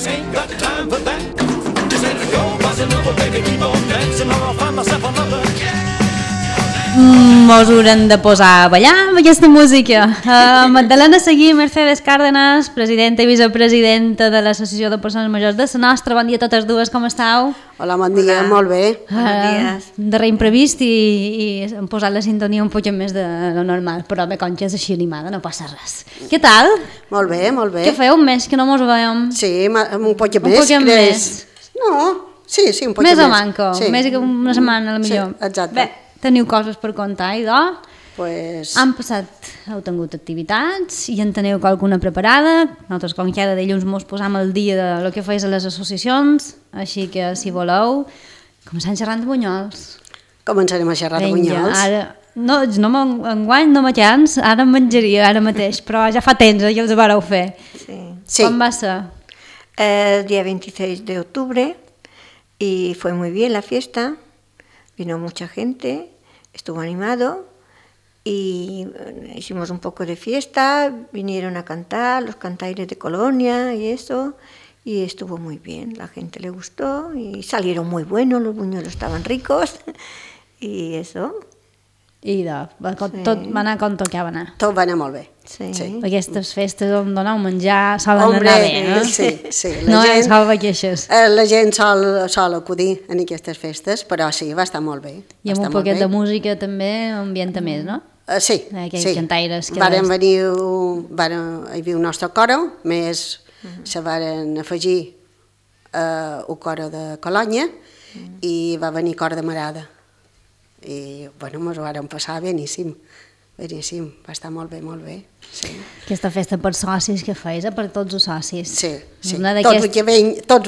fellas ain't got time for that. Just let it go, bossa nova, baby, keep on dancing, or I'll find myself another. Mos haurem de posar a ballar amb aquesta música. Magdalena Seguí, Mercedes Cárdenas, presidenta i vicepresidenta de l'Associació de Persones Majors de la nostra. Bon dia a totes dues, com esteu? Hola, bon dia, molt bé. Darrer imprevist i hem posat la sintonia un poc més de lo normal, però bé, com que és així animada, no passa res. Què tal? Molt bé, molt bé. Què feu? Un mes que no mos veiem. Sí, un poc més. Un poc més. No, sí, un poc més. Més o manco, més que una setmana, potser. Sí, exacte. Bé, teniu coses per contar, idò? Pues... Heu tingut activitats i en teniu alguna preparada. Nosaltres, com cada dilluns, mos posam al dia de lo que feis a les associacions, així que, si voleu, començant xerrant de bunyols. Començarem a xerrar de bunyols. Ara, enguany no me cans, ara em menjaria, ara mateix, però ja fa temps que els vareu fer. Sí. ¿Cómo va a ser? El día 26 de octubre y fue muy bien la fiesta, vino mucha gente, estuvo animado y hicimos un poco de fiesta, vinieron a cantar los cantaires de Colonia y eso, y estuvo muy bien, la gente le gustó y salieron muy buenos, los buñuelos estaban ricos y eso. I tot va anar com tocava anar. Tot va anar molt bé. Sí. Aquestes festes on doneu menjar solen anar bé, no? Sí. No és salva queixes. La gent sol acudir en aquestes festes, però sí, va estar molt bé. I amb un poquet de música també ambienta més, no? Sí. Aquells cantaires que... Varen venir, hi havia un nostre coro, més se varen afegir un coro de Colònia i va venir cor de Marada. I, bueno, ens ho vàrem passar beníssim, va estar molt bé, sí. Aquesta festa per socis que feis, per tots els socis. Sí, tots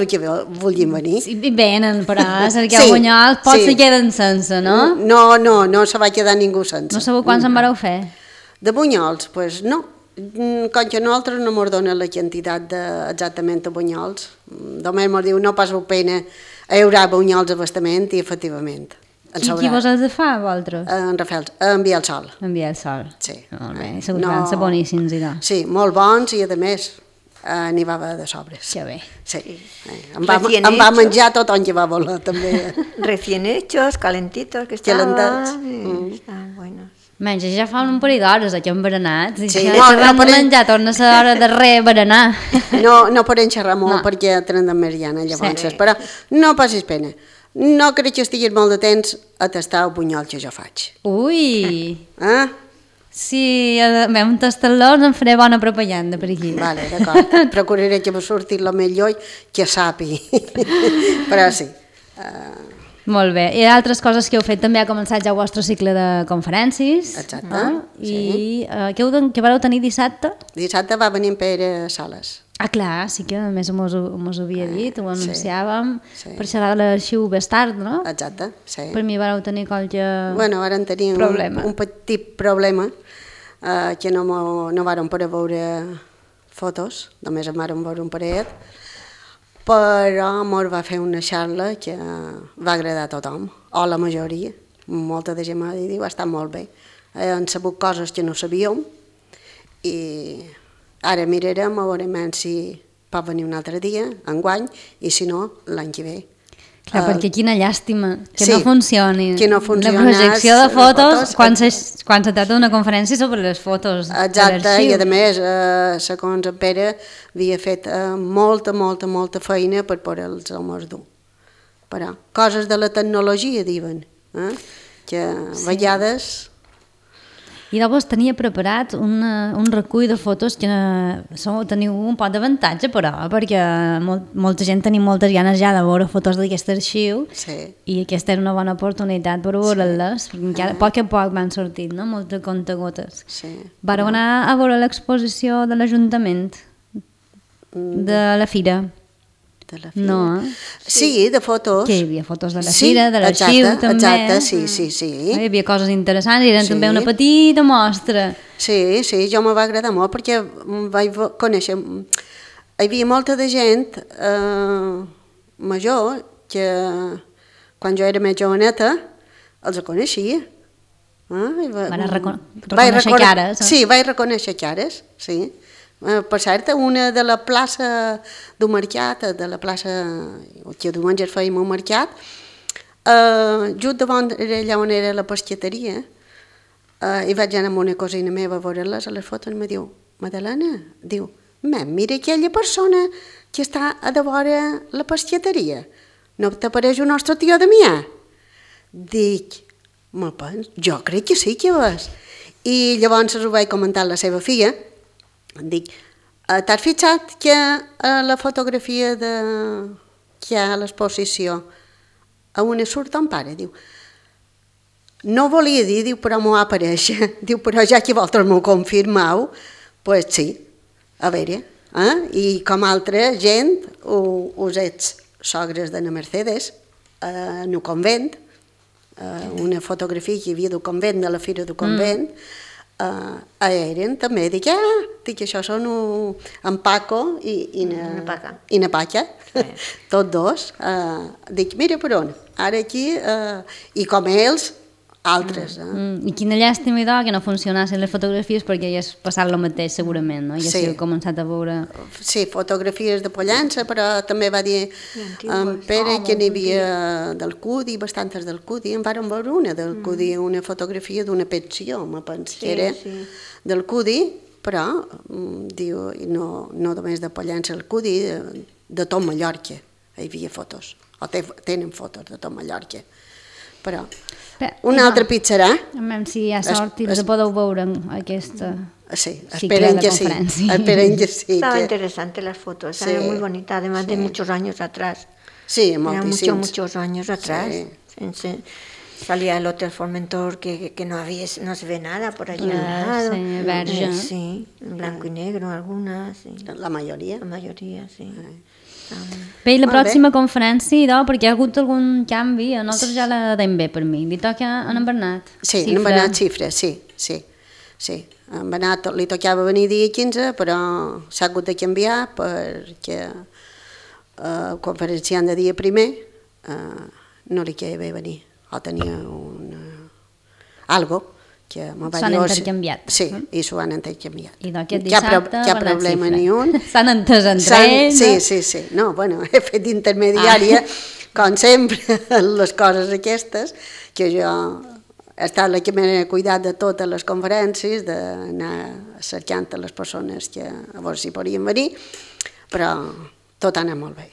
els que vulguin venir. Sí, venen, però cerqueu bunyols, pots se queden sense, no? No se va quedar ningú sense. No sabeu quants en vareu fer? De bunyols, doncs no. Com que nosaltres no ens donen la quantitat exactament de bunyols, només ens diu no passeu pena, hi haurà bunyols a bastament i efectivament. Qui vos els fa, vosaltres? En Rafael, en Biel Sol. En Biel Sol. Sí. Molt bé, segur que van ser boníssims, idò. Sí, molt bons i a més n'hi va haver de sobres. Que bé. Sí. Em va menjar tothom que va voler, també. Recién hechos, calentitos, que estaven. Estaven buenos. Menys, ja fa un parell d'hores que hem berenat. Sí, no menjar, torna a ser hora de berenar. No podem xerrar molt perquè tenen de meridiana, llavors, però no passis pena. No crec que estiguis molt de temps a tastar el bunyol que jo faig. Ui! Si vam tastar-lo, em faré bona propaganda per aquí. Vale, d'acord. Procuraré que me surti el millor que sapi. Però sí. Molt bé. I altres coses que heu fet, també ha començat ja el vostre cicle de conferències. Exacte. I què vareu tenir dissabte? Dissabte va venir en Pere Sales. Ah, clar, sí que a més mos ho havia dit, ho anunciàvem, per xerrar de l'arxiu Bestard, no? Exacte, sí. Per mi vareu tenir qualque varen tenir un petit problema, que no vàrem poder veure fotos, només en vàrem veure un parell, però mos va fer una xarra que va agradar a tothom, o la majoria, molta de gent m'ha dit, va estar molt bé. Han sabut coses que no sabíem i ara mirarem a veure si pot venir un altre dia, enguany, i si no, l'any que ve. Clar, perquè quina llàstima que no funcioni. Que no funcioni. La projecció de fotos, quan se tracta d'una conferència sobre les fotos de l'arxiu. Exacte, i a més, segons en Pere, havia fet molta feina per poder-los dur. Però coses de la tecnologia, diuen, que a vegades... I llavors tenia preparat un recull de fotos que teniu un pot d'avantatge, però, perquè molta gent tenia moltes ganes ja de veure fotos d'aquest arxiu i aquesta era una bona oportunitat per veure-les, perquè a poc van sortint, no? Moltes contagotes. Vareu anar a veure l'exposició de l'Ajuntament, de la Fira. No, sí, de fotos. Que hi havia fotos de la Fira, de l'arxiu també. Exacte, sí. Hi havia coses interessants, eren també una petita mostra. Sí, jo me va agradar molt perquè vaig conèixer... Hi havia molta de gent major que quan jo era més joveneta els coneixia. Van reconèixer cares. Sí, vaig reconèixer cares, sí. Per cert, una de la plaça del mercat, de la plaça que diumenge fèiem un mercat, just davant allà on era la pesqueteria, i vaig anar amb una cosina meva a veure-les a les fotos i em diu, Madalena, diu, mira aquella persona que està a de vora la pesqueteria, no t'apareix el nostre tio Damià? Dic, jo crec que sí que és. I llavors ho vaig comentar a la seva filla, dic, t'has fixat que la fotografia que hi ha a l'exposició a una surt ton pare? Diu, no volia dir, diu, però m'ho apareix. Diu, però ja que vosaltres m'ho confirmeu, pues sí, a veure. I com altra gent, us ets sogres de na Mercedes, en el convent, una fotografia que hi havia del convent, de la fira del convent, eren també, dic, això són en Paco i na Paca, tots dos. Dic, mira per on, ara aquí, i com ells, altres. I quina llàstima idò que no funcionassin les fotografies perquè hagués passat el mateix segurament, no? I haguéssiu començat a veure... Sí, fotografies de Pollença, però també va dir en Pere que n'hi havia del Cudi, bastantes del Cudi, en vàrem veure una del Cudi, una fotografia d'una pensió, me penso que era del Cudi, però diu, no només de Pollença, el Cudi, de tot Mallorca, hi havia fotos, o tenen fotos de tot Mallorca, però... Un altre pizzarà. A veure si hi ha sort i les podeu veure en aquesta cicle de conferència. Esperen que sí. Estaba interesante las fotos, estaban muy bonitas, además de muchos años atrás. Sí, moltíssims. Muchos años atrás. Salía el Hotel Formentor que no se ve nada por allí al lado. Sí, verge. Sí, en blanco y negro algunas. Sí. La majoria. La majoria, sí. Bé, i la pròxima conferència, perquè hi ha hagut algun canvi, a nosaltres ja la deim bé per mi. Li toca a en Bernat? Sí, a en Bernat Xifra, sí. A en Bernat li tocava venir dia 15, però s'ha hagut de canviar perquè el conferenciant de dia primer no li queia bé venir, o tenia algo que s'han intercanviat. Sí, i s'ho han intercanviat. I d'aquest dissabte cap problema ni un. S'han entès entre ells. Sí. No, bueno, he fet d'intermediària, com sempre, les coses aquestes, que jo he estat la que m'he cuidat de totes les conferències, d'anar cercant les persones que a veure si podien venir, però tot ha anat molt bé.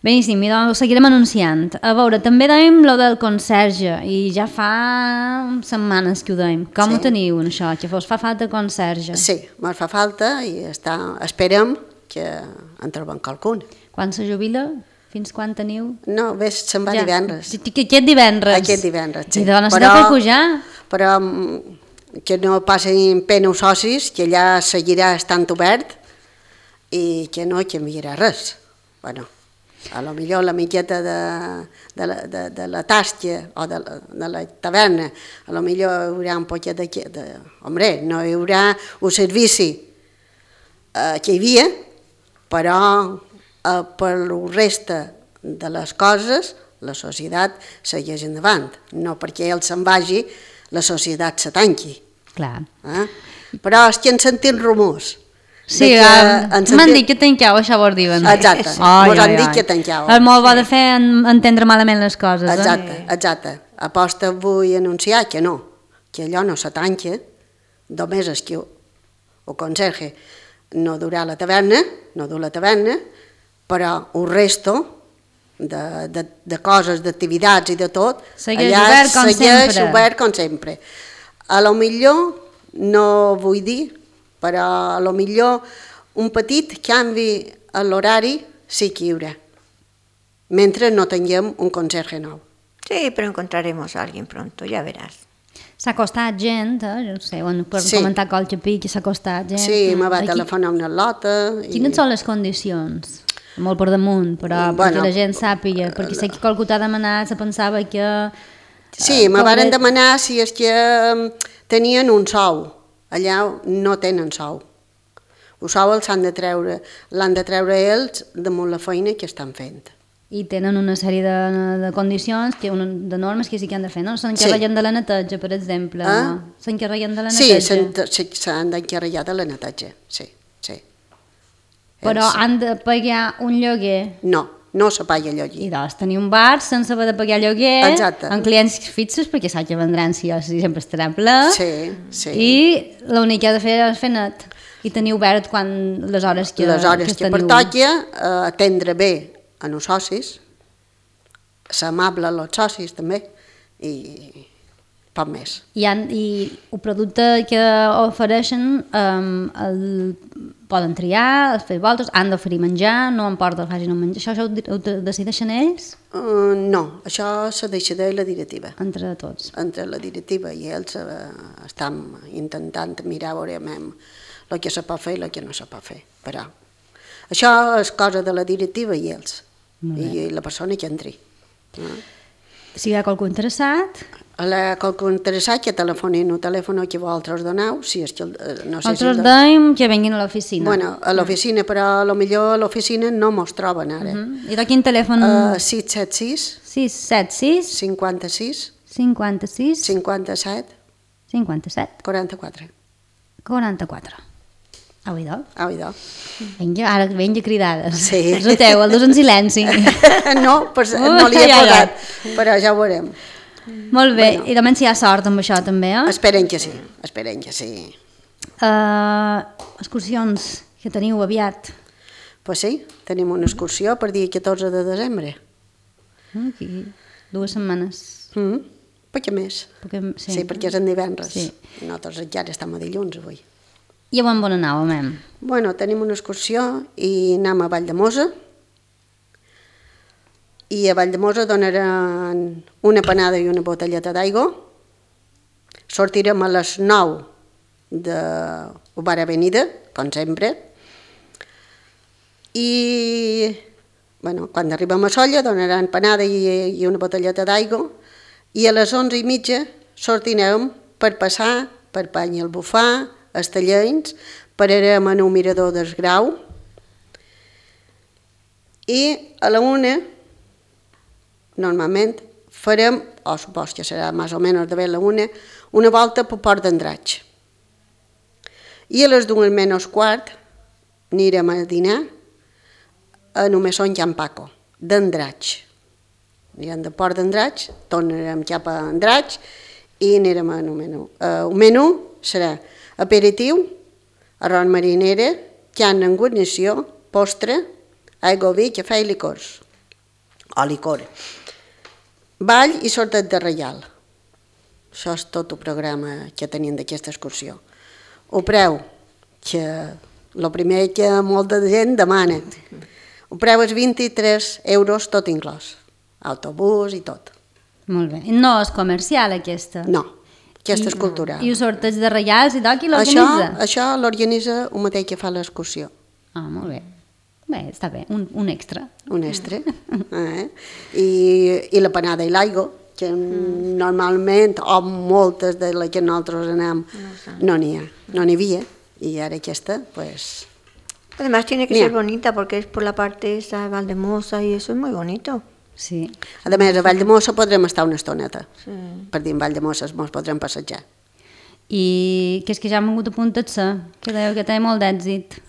Beníssim, i doncs ho seguirem anunciant. A veure, també dèiem lo del conserge, i ja fa setmanes que ho dèiem. Com ho teniu, això, que fa falta conserge? Sí, ens fa falta i esperem que en trobem qualcun. Quan se jubila? Fins quan teniu? No, se'n va divendres. Aquest divendres? Aquest divendres, sí. I doncs necessiteu fer pujar? Però que no passin pena els socis, que allà seguirà estant obert i que no canviarà res. Bueno, a lo millor la miqueta de la tasca o de la taverna, a lo millor hi haurà un poquet de... Hombre, no hi haurà un servici que hi havia, però per la resta de les coses la societat segueix endavant. No perquè ell se'n vagi, la societat se tanqui. Clar. Però és que han sentit rumors. Sí, m'han dit que tanqueu, això vos diuen. Exacte, mos han dit que tanqueu. És molt bo de fer entendre malament les coses. Exacte. Aposta vull anunciar que no, que allò no se tanca, només és que el conserge no durà la taverna, però el resto de coses, d'activitats i de tot, allà segueix obert com sempre. A lo millor, no vull dir, però a lo millor un petit canvi a l'horari sí que hi haurà, mentre no tinguem un conserge nou. Sí, però encontraremos a alguien pronto, ja veràs. S'ha costat gent, no sé, per comentar qualque pic, s'ha costat gent. Sí, me va telefonar una lota. Quines són les condicions? Molt per damunt, però perquè la gent sàpiga, perquè sé que qualcú t'ha demanat, se pensava que... Sí, me van demanar si és que tenien un sou. Allà no tenen sou. El sou l'han de treure ells damunt la feina que estan fent. I tenen una sèrie de condicions, de normes que sí que han de fer, no? S'encarreguen de la neteja, per exemple. S'encarreguen de la neteja. Sí, s'han d'encarregar de la neteja, sí. sí. Però han de pagar un lloguer. No se paga lloguer. I doncs tenir un bar sense haver de pagar lloguer, Exacte. amb clients fixos, perquè saps que vendran si sempre estarà ple, Sí. i l'únic que ha de fer és fer net, i tenir obert les hores que teniu. pertoqui, atendre bé a els socis, ser amable als socis també, i poc més. I el producte que ofereixen poden triar, fer voltes, han d'oferir menjar, no importa que facin un menjar. Això ho decideixen ells? No, això se decideix la directiva. Entre tots. Entre la directiva i ells estem intentant mirar a veure el que se pot fer i el que no se pot fer. Però això és cosa de la directiva i ells, i la persona que entri. Si hi ha qualcú interessat... Qualcú interessat que telefonin el telèfon que vosaltres doneu, si és que no sé nosaltres deim que venguin a l'oficina. Bueno, a l'oficina, però potser a l'oficina no mos troben ara. I de quin telèfon? 676 676 56 56 57 57 44. 44. Au, idò. Vinga, cridades. Sí. Noteu, el dos en silenci. No li he posat, però ja ho veurem. Molt bé, i també si hi ha sort amb això també, eh? Esperen que sí. Excursions que teniu aviat. Pues sí, tenim una excursió per dia 14 de desembre. Aquí, 2 setmanes. Poc més. Sí, perquè és en divendres. Sí. Nosaltres encara estem a dilluns avui. I on anàvem? Bueno, tenim una excursió i anem a Valldemossa. I a Valldemossa donaran una panada i una botelleta d'aigua. Sortirem a les 9 de Bar Avenida, com sempre. I quan arribem a Sóller donaran panada i una botelleta d'aigua. I a les 11:30 sortirem per passar per Pany el Bufar, Estellencs, pararem en un mirador del Grau. I a la 1 normalment farem, o supos que serà més o menys de la 1, una volta per Port d'Andratx. I a les 2:15 anirem a dinar a només Son Can Paco, d'Andratx. Anirem de Port d'Andratx, tornarem cap a Andratx i anirem a un menú. Un menú serà aperitiu, arròs marinera, carn en guarnició, postre, aigua, vi, cafè i licors. O licor. Ball i sorteig de reial. Això és tot el programa que tenim d'aquesta excursió. El preu, que el primer que molta gent demana. El preu és 23 euros tot inclòs. Autobús i tot. Molt bé. No és comercial aquesta? No, aquesta és cultural. I el sorteig de reials i qui l'organitza? Això l'organitza el mateix que fa l'excursió. Ah, molt bé. Bé, està bé, un extra. Un extra. I la panada i l'aigua, que normalment, o moltes de les que nosaltres anem, no n'hi havia. Y ahora que está, pues... Además tiene que ser bonita porque es por la parte esa de Valldemossa y eso es muy bonito. Sí. A més, a Valldemossa podrem estar una estoneta. Sí. Per dir, en Valldemossa ens podrem passejar. I que és que ja han vingut a apuntar-se, que dèieu que té molt d'èxit.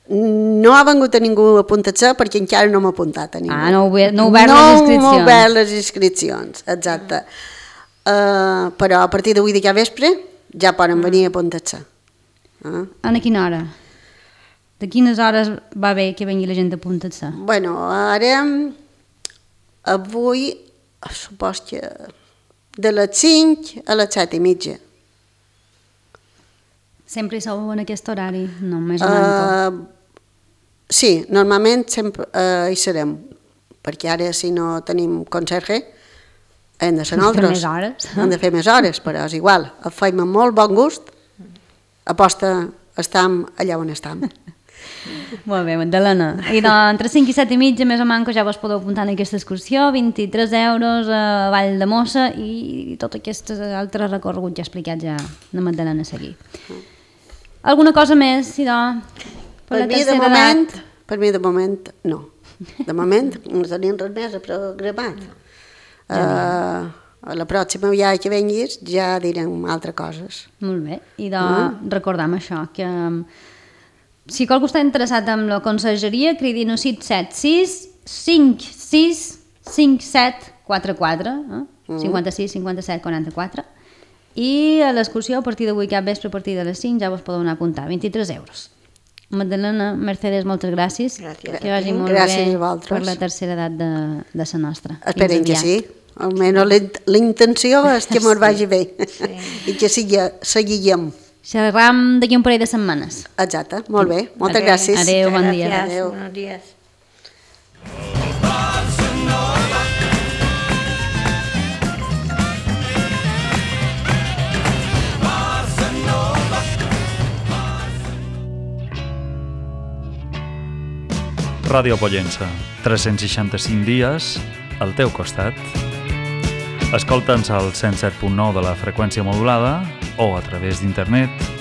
No ha vingut a ningú a apuntar-se perquè encara no m'ha apuntat a ningú. No heu obert les inscripcions. No heu obert les inscripcions, exacte. Però a partir d'avui de cada vespre ja poden venir a apuntar-se. A quina hora? De quines hores va bé que vengui la gent a apuntar-se? Bueno, ara, avui, supos que de les 5 a les 7:30. Sempre hi sou en aquest horari? No, més o menys. Sí, normalment sempre hi serem, perquè ara si no tenim conserge hem de ser nosaltres. Hem de fer més hores, però és igual. Ho fem amb molt bon gust, aposta estam allà on estam. Molt bé, Magdalena. I entre 5 i 7:30 més o menys ja vos podeu apuntar en aquesta excursió, 23 euros a Valldemossa i tot aquest altre recorregut ja explicat ja de Magdalena a seguir. Alguna cosa més, idò? Per mi de moment no. De moment no tenim res més a programar. A la pròxima viatge que venguis ja direm altres coses. Molt bé, i recordam això, que Si qualcú està interessat en la consergeria, cridin al 676 56 57 44, 56 57 44, i a l'excursió a partir d'avui cap vespre a partir de les 5 ja vos podeu anar a apuntar, 23 euros. Magdalena, Mercedes, moltes gràcies. Gràcies. Que vagi molt Gràcies bé a vosaltres. per la tercera edat de la nostra. Esperem que sí. Almenys la intenció és que mos vagi bé i que seguíem. Xerram d'aquí un parell de setmanes. Exacte, molt bé. Moltes gràcies. Adéu, bon dia. Gracias, Adéu. buenos días. Ràdio Pollença, 365 dies al teu costat. Escolta'ns al 107.9 de la freqüència modulada o a través d'internet